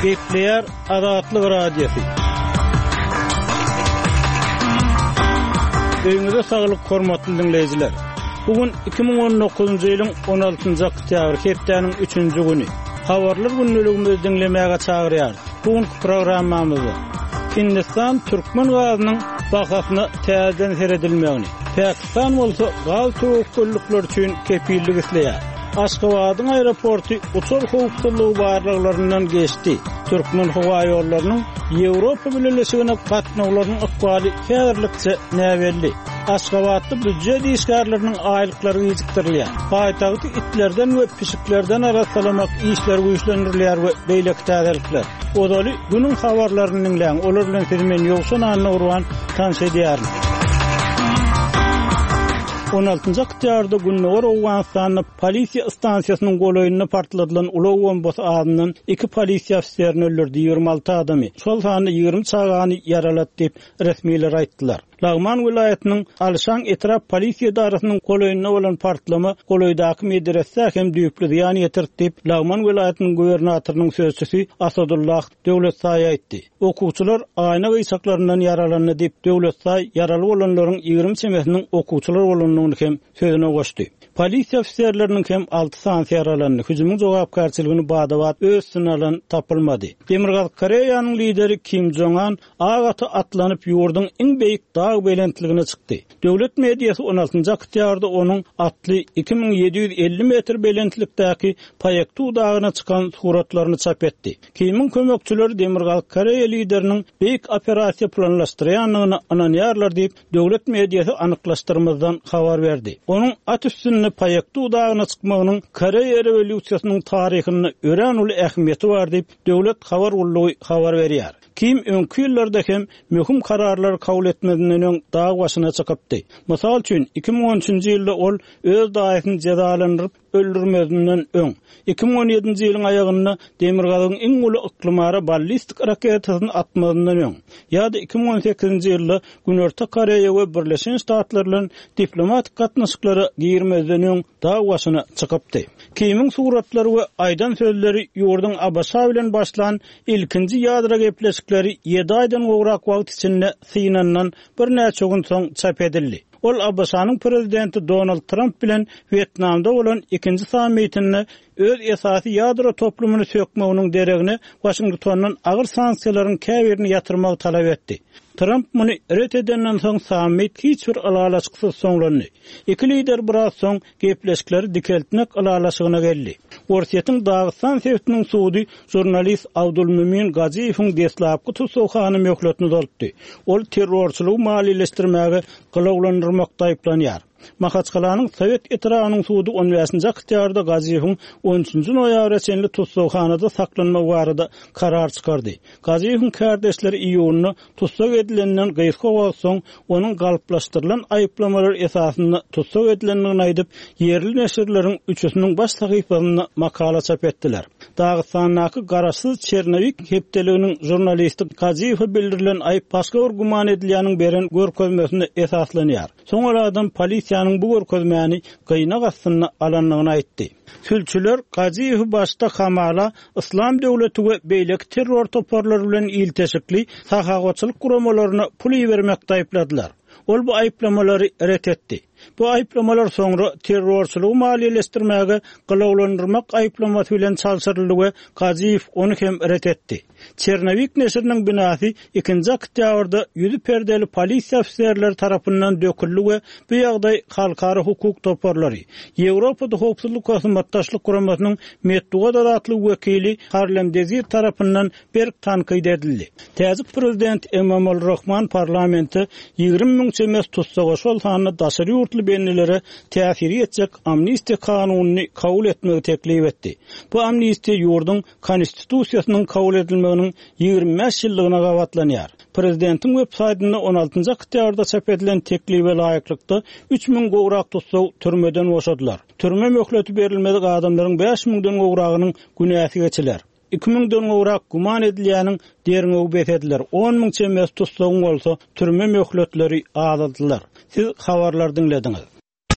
Gepleýär Azatlyk Radiosy. Öýüňize saglyk hormatly diňleýjiler. Bu gün 2019-njy ýylyň 16-njy oktýabry, hepdäniň üçünji güni. Habarlar gündeligimizi diňlemäge çagyrýarys. Bu günki programmamyzda Hindistan türkmen gazynyň bahasyna täzeden seredilmegini, Pakistan bolsa gaz töwekgellikleri üçin kepillik isleýär. Aşgabadyň aeroporty uçar howpsuzlygy barlaglaryndan geçdi. Türkmenhowaýollarynyň Ýewropa Bileleşigine gatnawlarynyň ykbaly häzirlikçe näbelli. Aşgabatda býujet işgärleriniň aýlyklary gijikdirilýär. Paýtagty itlerden we pişiklerden arassalamak işleri güýçlendirilýär we beýleki täzelikler. Ozaly günüň habarlaryny diňläň, olar bilen sizi men Ýowşan Annagurban tanyş edýärin. 16-njy oktýabrda Gündogar Owganystanda polisiýa stansiýasynyň golaýynda partladylan ulag bombasy azyndan iki polisiýa ofiserini öldürdi, 26 adamy, şol sanda 20 çagany ýaralady diýip, resmiler aýtdylar. Lagman welaýatynyň Alşan etrap polisiýa edarasynyň golaýynda bolan partlama golaýdaky medresä hem düýpli zyýan ýetirdi diýip, Lagman welaýatynyň gubernatorynyň sözçüsi Asadullah Döwletsaý aýtdy. Okuwçylar aýna gyýçaklaryndan ýaralandy diýip, Döwletsaý ýaraly bolanlaryň 20 çemesiniň okuwçylar bolandygyny hem sözüne goşdy. Polisiýa ofiserleriniň hem alty sanysy ýaralandy. Hüjümiň jogapkärçiligini bada-bat öz üstüne alan tapylmady. Demirgazyk Koreýanyň lideri Kim Jong An Ak ata atlanyp, ýurduň iň beýik dag belentligine çykdy. Döwlet mediasy on altynjy oktýabrda onuň atly 2750 metr belentlikdäki Paektu dagyna çykan suratlaryny çap etdi. Kimiň kömekçileri Demirgazyk Koreýa lideriniň beýik operasiýa planlaşdyrýandygyna ynanýarlar diýip, döwlet mediasy anyklaşdyrmazdan habar berdi. Onuň at üstünde Paektu dagyna çykmagynyň Koreýa rewolýusiýasynyň taryhynda örän uly ähmiýeti bar diýip, döwlet habar gullugy habar berýär. Kim öňki ýyllarda hem möhüm kararlary kabul etmezinden öň dag başyna çykypdy. Mysal üçin, 2013-nji ýylda ol öz daýysyny jezalandyryp öldürmezinden öň, 2017-nji ýylyň aýagynda Demirgazygyň iň uly yklymara ballistik raketasyny atmazyndan öň, ýa-da 2018-nji ýylda Günorta Koreýa we Birleşen Ştatlar bilen diplomatik gatnaşyklara girmezden öň dag başyna çykypdy. Kimiň suratlary we aýdan sözleri ýurduň ABŞ bilen başlan Ilkinji ýadro gepleşikleri ýedi aýdan gowrak wagt içinde synandan birnäçe gün soň çap edildi. Ol ABŞ-nyň prezidenti Donald Tramp bilen Wýetnamda bolan ikinji sammitinde öz esasy ýadro toplumyny sökmeginiň deregine Waşingtondan agyr sanksiýalaryň käbirini ýatyrmagy talap etdi. Tramp muny ret edenden soň sammit hiç bir ylalaşyksyz soňlandy. Iki lider biraz soň gepleşikleri dikeltmek ylalaşygyna geldi. Orsýetiň Dagystan sebitiniň sudy žurnalist Abdulmümin Gajiýewiň deslapky tussaghana möhletini uzaltdy. Ol terrorçylygy maliýeleşdirmäge gylawlandyrmakda aýyplanýar. Mahaçgalanyň Sowet etrabynyň sudy on bäşinji oktýabrda Gajiýewiň on üçünji noýabra çenli tussaghanada saklanmagy barada karar çykardy. Gajiýewiň kärdeşleri iýunda Tussag edilenden gysga wagt soň, onuň galplaşdyrylan aýyplamalar esasynda tussag edilendigini aýdyp, ýerli neşirleriň üçüsiniň baş sahypasynda makala çap etdiler. Dagystandaky garaşsyz Çernowik hepdeliginiň žurnalisti Gajiýewe bildirilen aýyp başga bir güman edilýäniň beren görkezmesine esaslanýar. Soň ol adam polisiýanyň bu görkezmäni gynag astynda alandygyny aýtdy. Sülçüler Gajiýewi başda hamala Yslam döwleti we beýleki terror toparlary bilen ilteşikli sahawatçylyk guramalaryna pul ibermekde aýypladylar. Ol bu aýyplamalary ret etdi. Bu aýyplamalar soňra terrorçylygy maliýeleşdirmäge gylawlandyrmak aýyplamasy bilen çalşyryldy we Gajiýew ony hem ret etdi. Çernowik neşiriniň binasy ikinji oktýabrda ýüzi perdeli polisiýa ofiserleri tarapyndan döküldi we bu ýagdaý halkara hukuk toparlary, Ýewropada Howpsuzlyk we Hyzmatdaşlyk Guramasynyň metbugat azatlygy wekili Harlem Dezir tarapyndan berk tankyt edildi. Täjik prezidenti Emomali Rahman parlamente 20 müň çemesi tussaga, şol sanda daşary ýurtly bendilere täsiri ýetjek amnistiýa kanunyny kabul etmegi teklip etdi. Bu amnistiýa ýurduň Konstitusiýasynyň kabul edilmeginiň 25 ýyllygyna gabatlanýar. Prezidentiň web saýtynda on altynjy oktýabrda çap edilen teklibe laýyklykda, 3000 gowrak tussag türmeden boşadylar. Türme möhleti berilmedik adamlaryň bäş müňden gowragynyň günäsi geçiler. Iki müňden gowrak güman edilýäniň derňewi bes ediler, on müň çemesi tussagyň bolsa türme möhletleri azaldylar. Siz habarlary diňlediňiz.